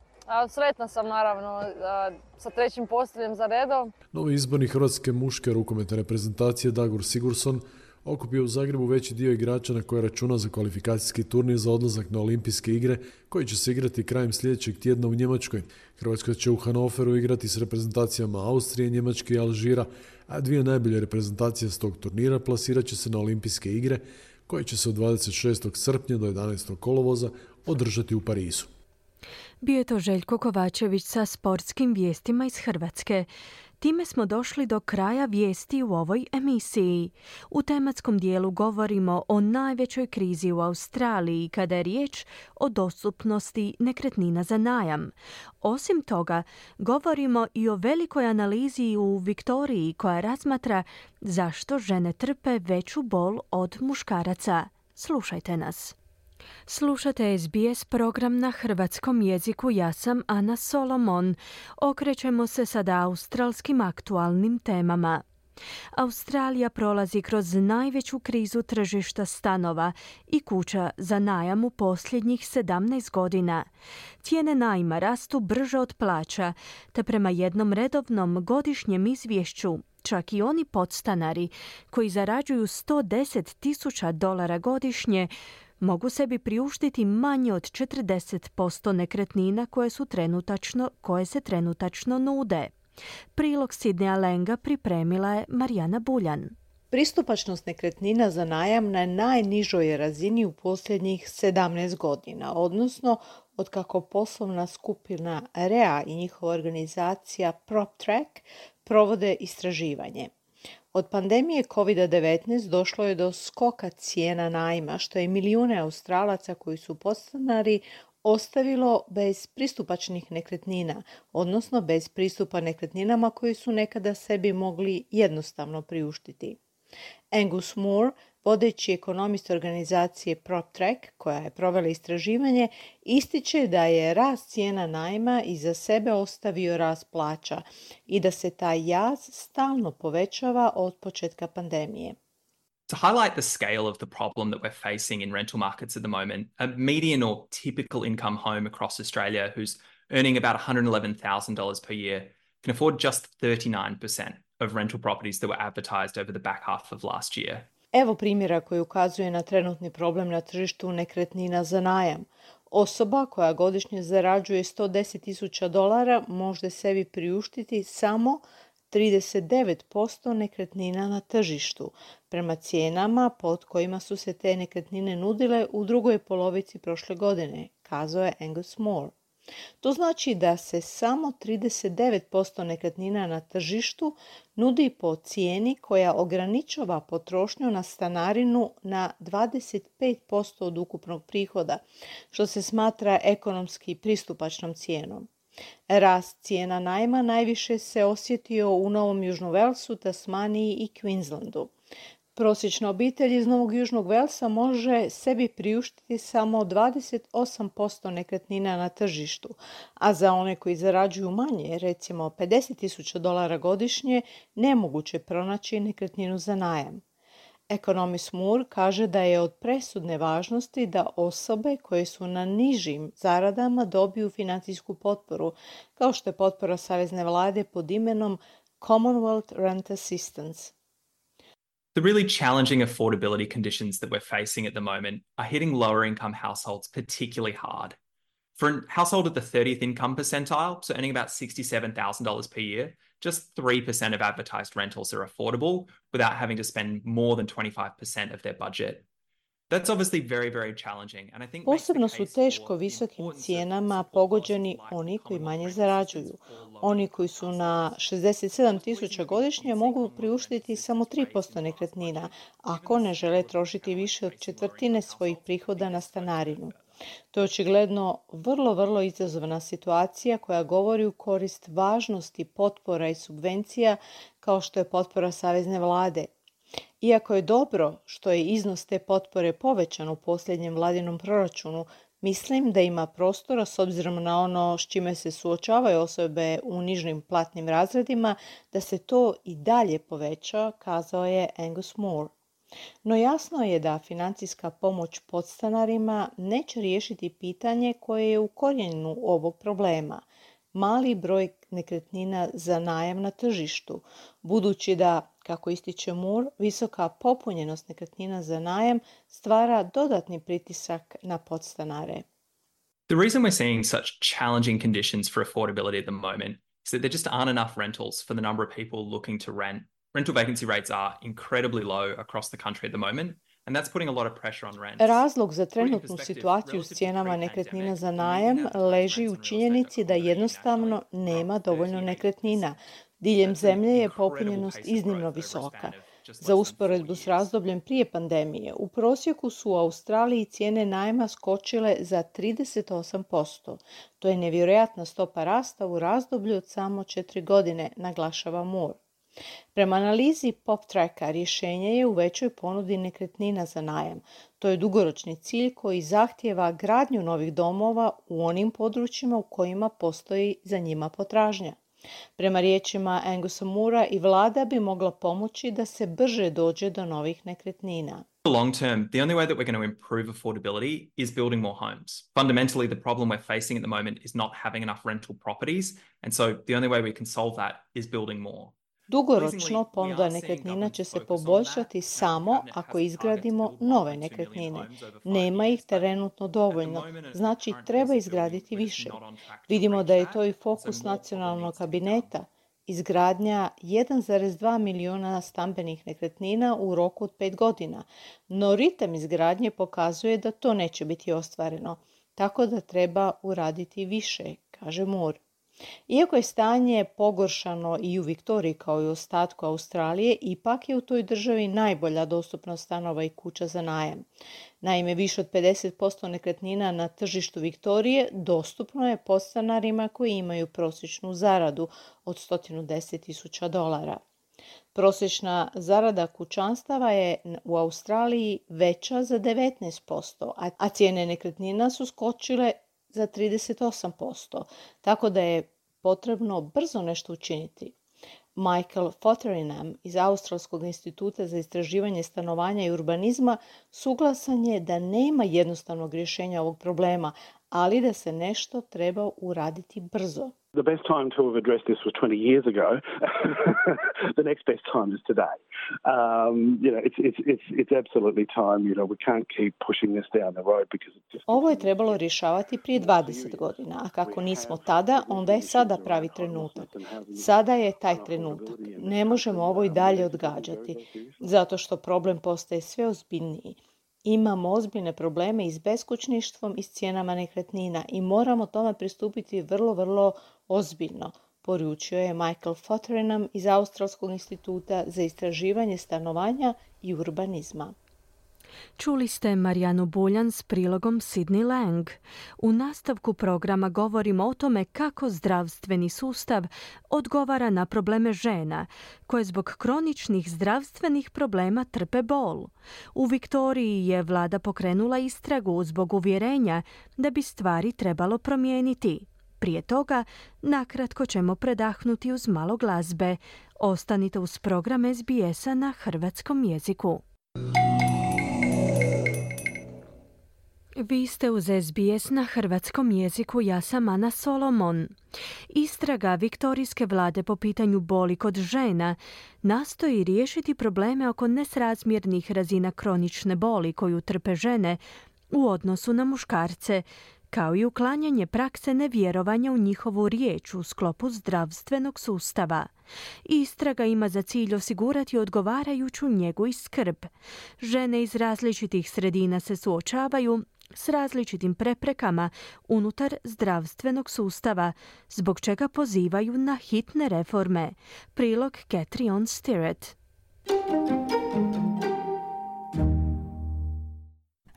Sretna sam naravno sa trećim postavljem za redom. Novi izborni hrvatske muške rukometne reprezentacije Dagur Sigurdsson okupio u Zagrebu veći dio igrača na koje računa za kvalifikacijski turnir za odlazak na olimpijske igre koji će se igrati krajem sljedećeg tjedna u Njemačkoj. Hrvatska će u Hanoveru igrati s reprezentacijama Austrije, Njemačke i Alžira, a dvije najbolje reprezentacije s tog turnira plasirat će se na olimpijske igre koje će se od dvadeset šestog srpnja do jedanaestog kolovoza održati u Parizu. Bio je to Željko Kovačević sa sportskim vijestima iz Hrvatske. Time smo došli do kraja vijesti u ovoj emisiji. U tematskom dijelu govorimo o najvećoj krizi u Australiji kada je riječ o dostupnosti nekretnina za najam. Osim toga, govorimo i o velikoj analizi u Viktoriji koja razmatra zašto žene trpe veću bol od muškaraca. Slušajte nas. Slušate es be es program na hrvatskom jeziku. Ja sam Ana Solomon. Okrećemo se sada australskim aktualnim temama. Australija prolazi kroz najveću krizu tržišta stanova i kuća za najam u posljednjih sedamnaest godina. Cijene najma rastu brže od plaća, te prema jednom redovnom godišnjem izvješću čak i oni podstanari koji zarađuju sto deset tisuća dolara godišnje mogu sebi priuštiti manje od četrdeset posto nekretnina koje, su trenutačno, koje se trenutačno nude. Prilog Sidneja Lenga pripremila je Marijana Buljan. Pristupačnost nekretnina za najam na najnižoj je razini u posljednjih sedamnaest godina, odnosno otkako poslovna skupina R E A i njihova organizacija PropTrack provode istraživanje. Od pandemije kovid devetnaest došlo je do skoka cijena najma, što je milijune Australaca koji su podstanari ostavilo bez pristupačnih nekretnina, odnosno bez pristupa nekretninama koje su nekada sebi mogli jednostavno priuštiti. Angus Moore, vodeći ekonomist organizacije PropTrack, koja je provela istraživanje, ističe da je rast cijena najma iza sebe ostavio rast plaća i da se taj jaz stalno povećava od početka pandemije. To highlight the scale of the problem that we're facing in rental markets at the moment, a median or typical income home across Australia who's earning about one hundred eleven thousand dollars per year can afford just thirty-nine percent of rental properties that were advertised over the back half of last year. Evo primjera koji ukazuje na trenutni problem na tržištu nekretnina za najam. Osoba koja godišnje zarađuje sto deset tisuća dolara može sebi priuštiti samo trideset devet posto nekretnina na tržištu, prema cijenama pod kojima su se te nekretnine nudile u drugoj polovici prošle godine, kazao je Angus Moore. To znači da se samo trideset devet posto nekretnina na tržištu nudi po cijeni koja ograničava potrošnju na stanarinu na dvadeset pet posto od ukupnog prihoda, što se smatra ekonomski pristupačnom cijenom. Rast cijena najma najviše se osjetio u Novom Južnom Velsu, Tasmaniji i Queenslandu. Prosječna obitelj iz Novog Južnog Velsa može sebi priuštiti samo dvadeset osam posto nekretnina na tržištu, a za one koji zarađuju manje, recimo pedeset tisuća dolara godišnje, nemoguće pronaći nekretninu za najam. Ekonomist Moore kaže da je od presudne važnosti da osobe koje su na nižim zaradama dobiju financijsku potporu, kao što je potpora savezne vlade pod imenom Commonwealth Rent Assistance. The really challenging affordability conditions that we're facing at the moment are hitting lower income households particularly hard. For a household at the thirtieth income percentile, so earning about sixty-seven thousand dollars per year, just three percent of advertised rentals are affordable without having to spend more than twenty-five percent of their budget. That's obviously very, very challenging. And I think Posebno su teško visokim cijenama pogođeni oni koji manje zarađuju. Oni koji su na šezdeset sedam tisuća godišnje mogu priuštiti samo tri posto nekretnina, ako ne žele trošiti više od četvrtine svojih prihoda na stanarinu. To je očigledno vrlo, vrlo izazovna situacija koja govori u korist važnosti potpora i subvencija kao što je potpora savezne vlade. Iako je dobro što je iznos te potpore povećan u posljednjem vladinom proračunu, mislim da ima prostora s obzirom na ono s čime se suočavaju osobe u nižim platnim razredima da se to i dalje poveća, kazao je Angus Moore. No jasno je da financijska pomoć podstanarima neće riješiti pitanje koje je u korijenu ovog problema. Mali broj nekretnina za najam na tržištu, budući da, kako ističe Moore, visoka popunjenost nekretnina za najam stvara dodatni pritisak na podstanare. The reason we're seeing such challenging conditions for affordability at the moment is that there just aren't enough rentals for the number of people looking to rent. Rental vacancy rates are incredibly low across the country at the moment. And that's putting a lot of pressure on rent. Razlog za trenutnu situaciju s cijenama nekretnina za najam leži u činjenici da jednostavno nema dovoljno nekretnina. Diljem zemlje je popunjenost iznimno visoka. Za usporedbu s razdobljem prije pandemije, u prosjeku su u Australiji cijene najma skočile za trideset osam posto. To je nevjerojatna stopa rasta u razdoblju od samo četiri godine, naglašava Moore. Prema analizi PropTracka rješenje je u većoj ponudi nekretnina za najam. To je dugoročni cilj koji zahtijeva gradnju novih domova u onim područjima u kojima postoji za njima potražnja. Prema riječima Angusa Moorea i vlada bi mogla pomoći da se brže dođe do novih nekretnina. Long term, the only way that we're going to improve affordability is building more homes. Fundamentally, the problem we're facing at the moment is not having enough rental properties, and so the only way we can solve that is building more. Dugoročno ponuda nekretnina će se poboljšati samo ako izgradimo nove nekretnine. Nema ih trenutno dovoljno, znači treba izgraditi više. Vidimo da je to i fokus nacionalnog kabineta. izgradnja jedan zarez dva miliona stambenih nekretnina u roku od pet godina, no ritam izgradnje pokazuje da to neće biti ostvareno, tako da treba uraditi više, kaže Moore. Iako je stanje pogoršano i u Viktoriji kao i u ostatku Australije, ipak je u toj državi najbolja dostupnost stanova i kuća za najam. Naime, više od pedeset posto nekretnina na tržištu Viktorije dostupno je podstanarima koji imaju prosječnu zaradu od sto deset tisuća dolara. Prosječna zarada kućanstava je u Australiji veća za devetnaest posto, a cijene nekretnina su skočile za trideset osam posto, tako da je potrebno brzo nešto učiniti. Michael Fotheringham iz Australskog instituta za istraživanje stanovanja i urbanizma suglasan je da nema jednostavnog rješenja ovog problema, ali da se nešto treba uraditi brzo. The best time to have addressed this was twenty years ago. The next best time is today. Um, you know, it's, it's, it's, it's absolutely time. You know, we can't keep pushing this down the road because it's just... Ovo je trebalo rješavati prije dvadeset godina, a kako nismo tada, onda je sada pravi trenutak. Sada je taj trenutak. Ne možemo ovo i dalje odgađati, zato što problem postaje sve ozbiljniji. Imamo ozbiljne probleme i s beskućništvom i s cijenama nekretnina i moramo tome pristupiti vrlo, vrlo ozbiljno, poručio je Michael Fotheringham iz Australskog instituta za istraživanje stanovanja i urbanizma. Čuli ste Marijanu Buljan s prilogom Sidney Lang. U nastavku programa govorimo o tome kako zdravstveni sustav odgovara na probleme žena, koje zbog kroničnih zdravstvenih problema trpe bol. U Viktoriji je vlada pokrenula istragu zbog uvjerenja da bi stvari trebalo promijeniti. Prije toga, nakratko ćemo predahnuti uz malo glazbe. Ostanite uz program S B S-a na hrvatskom jeziku. Vi ste uz S B S na hrvatskom jeziku, ja sam Ana Solomon. Istraga viktorijske vlade po pitanju boli kod žena nastoji riješiti probleme oko nesrazmjernih razina kronične boli koju trpe žene u odnosu na muškarce, kao i uklanjanje prakse nevjerovanja u njihovu riječ u sklopu zdravstvenog sustava. Istraga ima za cilj osigurati odgovarajuću njegu i skrb. Žene iz različitih sredina se suočavaju s različitim preprekama unutar zdravstvenog sustava, zbog čega pozivaju na hitne reforme. Prilog Catriona Stirrett.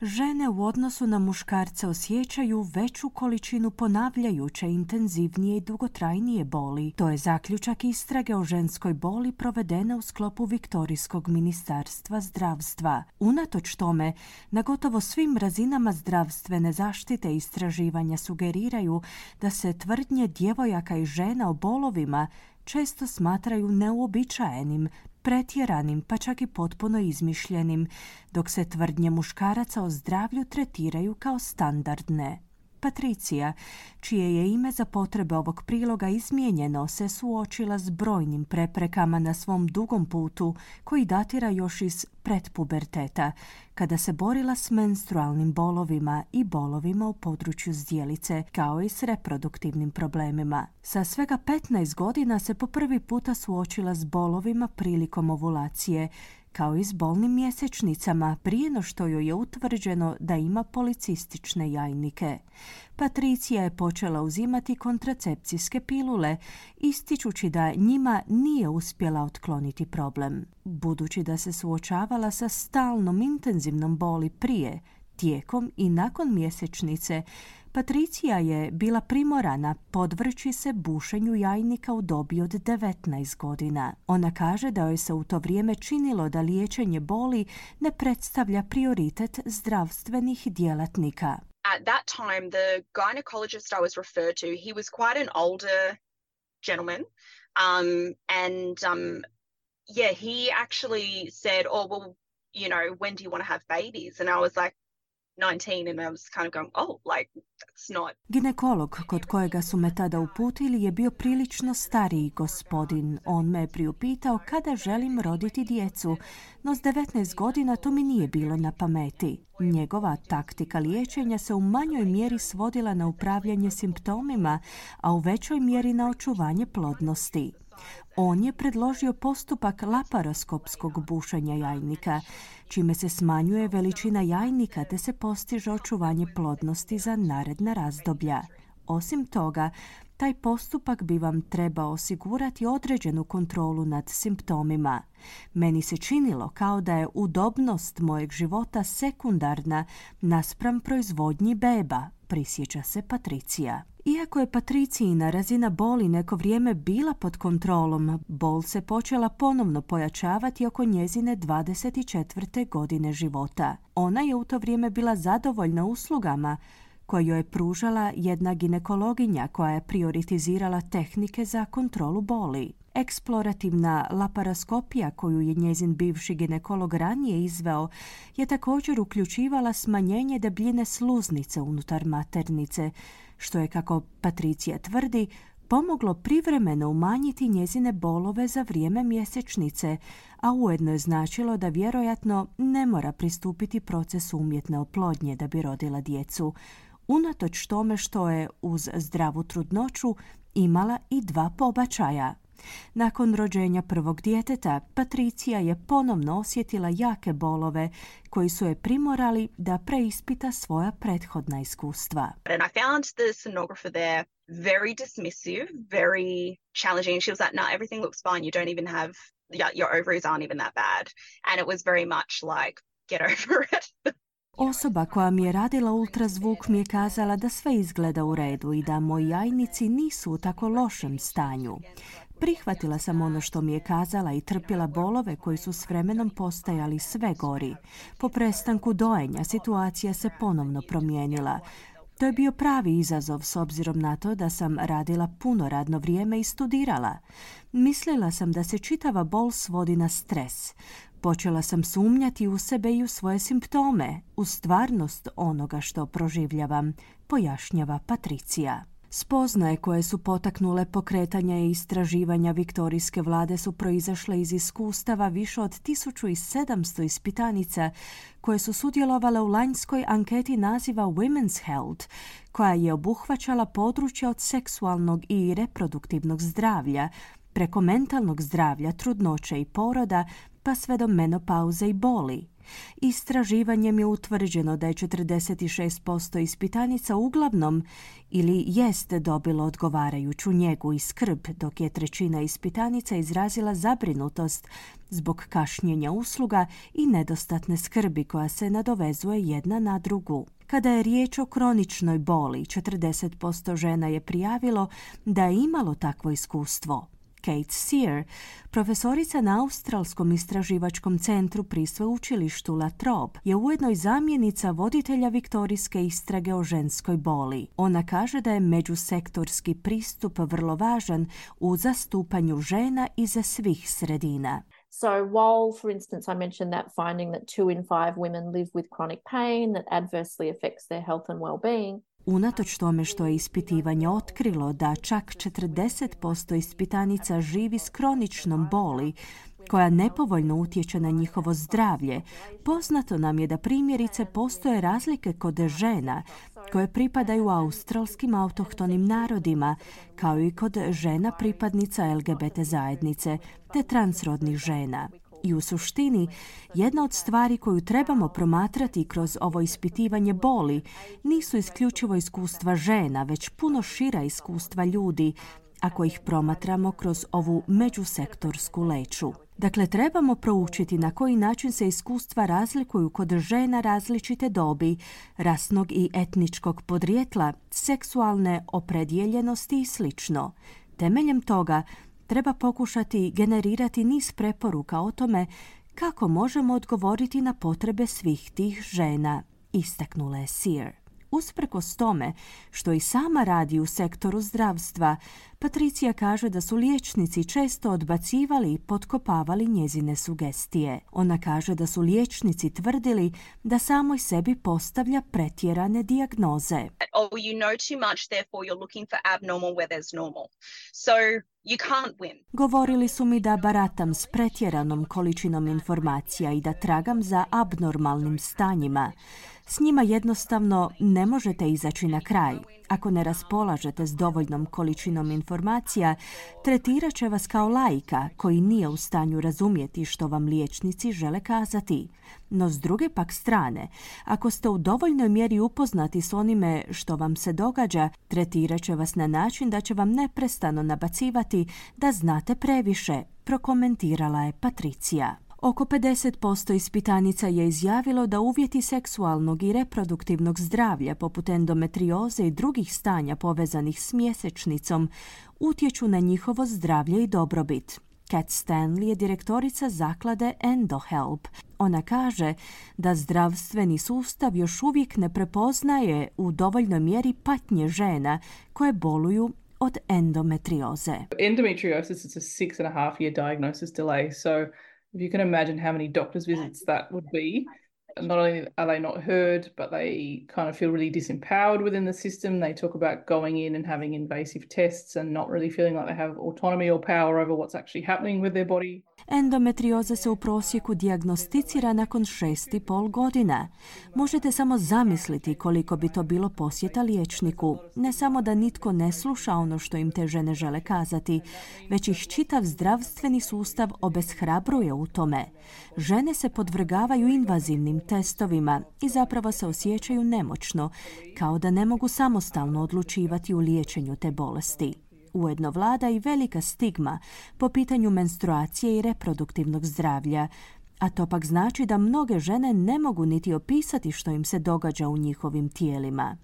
Žene u odnosu na muškarce osjećaju veću količinu ponavljajuće, intenzivnije i dugotrajnije boli. To je zaključak istrage o ženskoj boli provedene u sklopu Viktorijskog ministarstva zdravstva. Unatoč tome, na gotovo svim razinama zdravstvene zaštite istraživanja sugeriraju da se tvrdnje djevojaka i žena o bolovima često smatraju neuobičajenim, pretjeranim, pa čak i potpuno izmišljenim, dok se tvrdnje muškaraca o zdravlju tretiraju kao standardne. Patricija, čije je ime za potrebe ovog priloga izmijenjeno, se suočila s brojnim preprekama na svom dugom putu koji datira još iz pretpuberteta, kada se borila s menstrualnim bolovima i bolovima u području zdjelice, kao i s reproduktivnim problemima. Sa svega petnaest godina se po prvi puta suočila s bolovima prilikom ovulacije, kao i s bolnim mjesečnicama prije no što joj je utvrđeno da ima policistične jajnike. Patricija je počela uzimati kontracepcijske pilule, ističući da njima nije uspjela otkloniti problem. Budući da se suočavala sa stalnom intenzivnom boli prije, tijekom i nakon mjesečnice, Patricija je bila primorana podvrći se bušenju jajnika u dobi od devetnaest godina. Ona kaže da joj se u to vrijeme činilo da liječenje boli ne predstavlja prioritet zdravstvenih djelatnika. At that time, the gynecologist I was referred to, he was quite an older gentleman, um, and um, yeah, he actually said, "Oh, well, you know, when do you want to have babies?" And I was like, nineteen, and I was kind of going, oh, like, that's not... Ginekolog kod kojega su me tada uputili je bio prilično stariji gospodin. On me je priupitao kada želim roditi djecu, no s devetnaest godina to mi nije bilo na pameti. Njegova taktika liječenja se u manjoj mjeri svodila na upravljanje simptomima, a u većoj mjeri na očuvanje plodnosti. On je predložio postupak laparoskopskog bušenja jajnika, čime se smanjuje veličina jajnika te se postiže očuvanje plodnosti za naredna razdoblja. Osim toga, taj postupak bi vam trebao osigurati određenu kontrolu nad simptomima. Meni se činilo kao da je udobnost mojeg života sekundarna naspram proizvodnji beba, prisjeća se Patricija. Iako je Patricijina razina boli neko vrijeme bila pod kontrolom, bol se počela ponovno pojačavati oko njezine dvadeset četvrte godine života. Ona je u to vrijeme bila zadovoljna uslugama koje joj je pružala jedna ginekologinja koja je prioritizirala tehnike za kontrolu boli. Eksplorativna laparoskopija koju je njezin bivši ginekolog ranije izveo je također uključivala smanjenje debljine sluznice unutar maternice, što je, kako Patricija tvrdi, pomoglo privremeno umanjiti njezine bolove za vrijeme mjesečnice, a ujedno je značilo da vjerojatno ne mora pristupiti procesu umjetne oplodnje da bi rodila djecu, unatoč tome što je uz zdravu trudnoću imala i dva pobačaja. Nakon rođenja prvog djeteta, Patricija je ponovno osjetila jake bolove koji su je primorali da preispita svoja prethodna iskustva. And I found the sonographer there very dismissive, very challenging. She was like, no, everything looks fine. You don't even have, your ovaries aren't even that bad. And it was very much like, get over it. Osoba koja mi je radila ultrazvuk mi je kazala da sve izgleda u redu i da moji jajnici nisu u tako lošem stanju. Prihvatila sam ono što mi je kazala i trpila bolove koji su s vremenom postajali sve gori. Po prestanku dojenja situacija se ponovno promijenila. To je bio pravi izazov s obzirom na to da sam radila puno radno vrijeme i studirala. Mislila sam da se čitava bol svodi na stres. Počela sam sumnjati u sebe i u svoje simptome, u stvarnost onoga što proživljavam, pojašnjava Patricija. Spoznaje koje su potaknule pokretanja i istraživanja viktorijske vlade su proizašle iz iskustava više od tisuću sedamsto ispitanica koje su sudjelovale u lanjskoj anketi naziva Women's Health, koja je obuhvaćala područja od seksualnog i reproduktivnog zdravlja, preko mentalnog zdravlja, trudnoće i poroda, pa sve do menopauze i boli. Istraživanjem je utvrđeno da je četrdeset šest posto ispitanica uglavnom ili jest dobilo odgovarajuću njegu i skrb, dok je trećina ispitanica izrazila zabrinutost zbog kašnjenja usluga i nedostatne skrbi koja se nadovezuje jedna na drugu. Kada je riječ o kroničnoj boli, četrdeset posto žena je prijavilo da je imalo takvo iskustvo. Kate Sear, profesorica na Australskom istraživačkom centru pri sveučilištu La Trobe, je ujedno i zamjenica voditelja viktorijske istrage o ženskoj boli. Ona kaže da je međusektorski pristup vrlo važan u zastupanju žena iza svih sredina. So while, for instance, I mentioned that finding that two in five women live with chronic pain that adversely affects their health and well-being, unatoč tome što je ispitivanje otkrilo da čak četrdeset posto ispitanica živi s kroničnom boli koja nepovoljno utječe na njihovo zdravlje, poznato nam je da primjerice postoje razlike kod žena koje pripadaju australskim autohtonim narodima, kao i kod žena pripadnica L G B T zajednice te transrodnih žena. I u suštini, jedna od stvari koju trebamo promatrati kroz ovo ispitivanje boli nisu isključivo iskustva žena, već puno šira iskustva ljudi, ako ih promatramo kroz ovu međusektorsku leću. Dakle, trebamo proučiti na koji način se iskustva razlikuju kod žena različite dobi, rasnog i etničkog podrijetla, seksualne opredjeljenosti i sl. Temeljem toga, treba pokušati generirati niz preporuka o tome kako možemo odgovoriti na potrebe svih tih žena, istaknula je Sear. Usprkos tome što i sama radi u sektoru zdravstva, Patricija kaže da su liječnici često odbacivali i potkopavali njezine sugestije. Ona kaže da su liječnici tvrdili da samoj sebi postavlja pretjerane dijagnoze. Oh, you know too much, therefore you're looking for abnormal where there's normal. So you can't win. Govorili su mi da baratam s pretjeranom količinom informacija i da tragam za abnormalnim stanjima. S njima jednostavno ne možete izaći na kraj. Ako ne raspolažete s dovoljnom količinom informacija, tretirat će vas kao laika koji nije u stanju razumjeti što vam liječnici žele kazati. No s druge pak strane, ako ste u dovoljnoj mjeri upoznati s onime što vam se događa, tretirat će vas na način da će vam neprestano nabacivati da znate previše, prokomentirala je Patricija. Oko pedeset posto ispitanica je izjavilo da uvjeti seksualnog i reproduktivnog zdravlja poput endometrioze i drugih stanja povezanih s mjesečnicom utječu na njihovo zdravlje i dobrobit. Kat Stanley je direktorica zaklade EndoHelp. Ona kaže da zdravstveni sustav još uvijek ne prepoznaje u dovoljnoj mjeri patnje žena koje boluju od endometrioze. Endometriosis is a six and a half year diagnosis delay, so if you can imagine how many doctor's visits that would be, not only are they not heard, but they kind of feel really disempowered within the system. They talk about going in and having invasive tests and not really feeling like they have autonomy or power over what's actually happening with their body. Endometrioza se u prosjeku dijagnosticira nakon šest i pol godina. Možete samo zamisliti koliko bi to bilo posjeta liječniku. Ne samo da nitko ne sluša ono što im te žene žele kazati, već ih čitav zdravstveni sustav obeshrabruje u tome. Žene se podvrgavaju invazivnim testovima i zapravo se osjećaju nemoćno, kao da ne mogu samostalno odlučivati u liječenju te bolesti. Ujedno vlada i velika stigma po pitanju menstruacije i reproduktivnog zdravlja, a to pak znači da mnoge žene ne mogu niti opisati što im se događa u njihovim tijelima.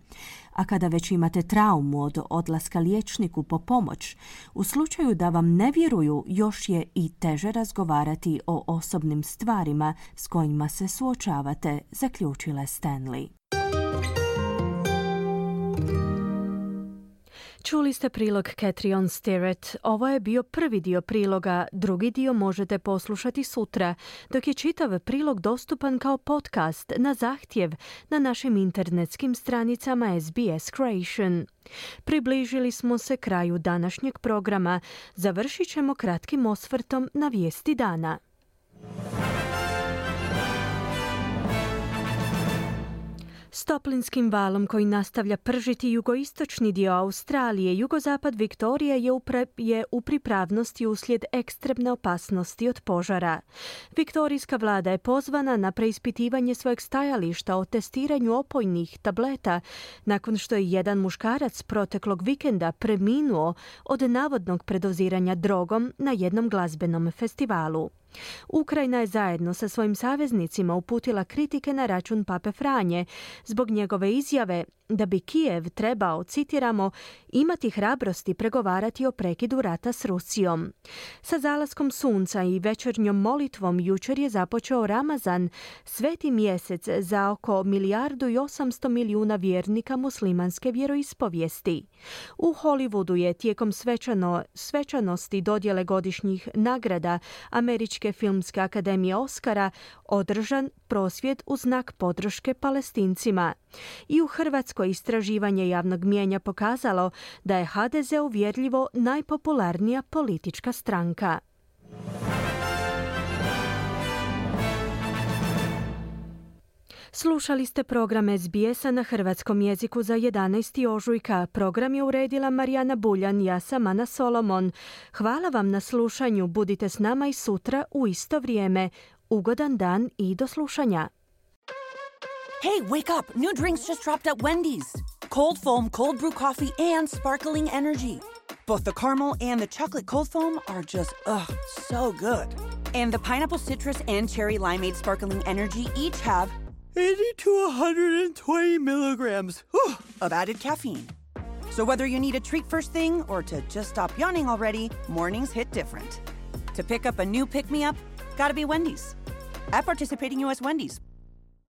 A kada već imate traumu od odlaska liječniku po pomoć, u slučaju da vam ne vjeruju, još je i teže razgovarati o osobnim stvarima s kojima se suočavate, zaključila Stanley. Čuli ste prilog Catriona Sterrett. Ovo je bio prvi dio priloga, drugi dio možete poslušati sutra, dok je čitav prilog dostupan kao podcast na zahtjev na našim internetskim stranicama S B S Creation. Približili smo se kraju današnjeg programa. Završit ćemo kratkim osvrtom na vijesti dana. S toplinskim valom koji nastavlja pržiti jugoistočni dio Australije, jugozapad Viktorije je u, pre, je u pripravnosti uslijed ekstremne opasnosti od požara. Viktorijska vlada je pozvana na preispitivanje svojeg stajališta o testiranju opojnih tableta nakon što je jedan muškarac proteklog vikenda preminuo od navodnog predoziranja drogom na jednom glazbenom festivalu. Ukrajina je zajedno sa svojim saveznicima uputila kritike na račun Pape Franje zbog njegove izjave da bi Kijev trebao, citiramo, imati hrabrosti pregovarati o prekidu rata s Rusijom. Sa zalaskom sunca i večernjom molitvom jučer je započeo Ramazan, sveti mjesec za oko milijardu i osamsto milijuna vjernika muslimanske vjeroispovijesti. U Hollywoodu je tijekom svečano, svečanosti dodjele godišnjih nagrada Američke filmske akademije Oscara održan prosvjed u znak podrške Palestincima. I u Hrvatskoj istraživanje javnog mijenja pokazalo da je H D Z uvjerljivo najpopularnija politička stranka. Slušali ste program S B S-a na hrvatskom jeziku za jedanaesti ožujka. Program je uredila Marijana Buljan, ja sam Ana Solomon. Hvala vam na slušanju, budite s nama i sutra u isto vrijeme. Ugodan dan i do slušanja. Hey, wake up! New drinks just dropped at Wendy's. Cold foam, cold brew coffee, and sparkling energy. Both the caramel and the chocolate cold foam are just, ugh, so good. And the pineapple citrus and cherry limeade sparkling energy each have eighty to one hundred twenty milligrams whew, of added caffeine. So whether you need a treat first thing or to just stop yawning already, mornings hit different. To pick up a new pick-me-up, gotta be Wendy's. At participating U S Wendy's.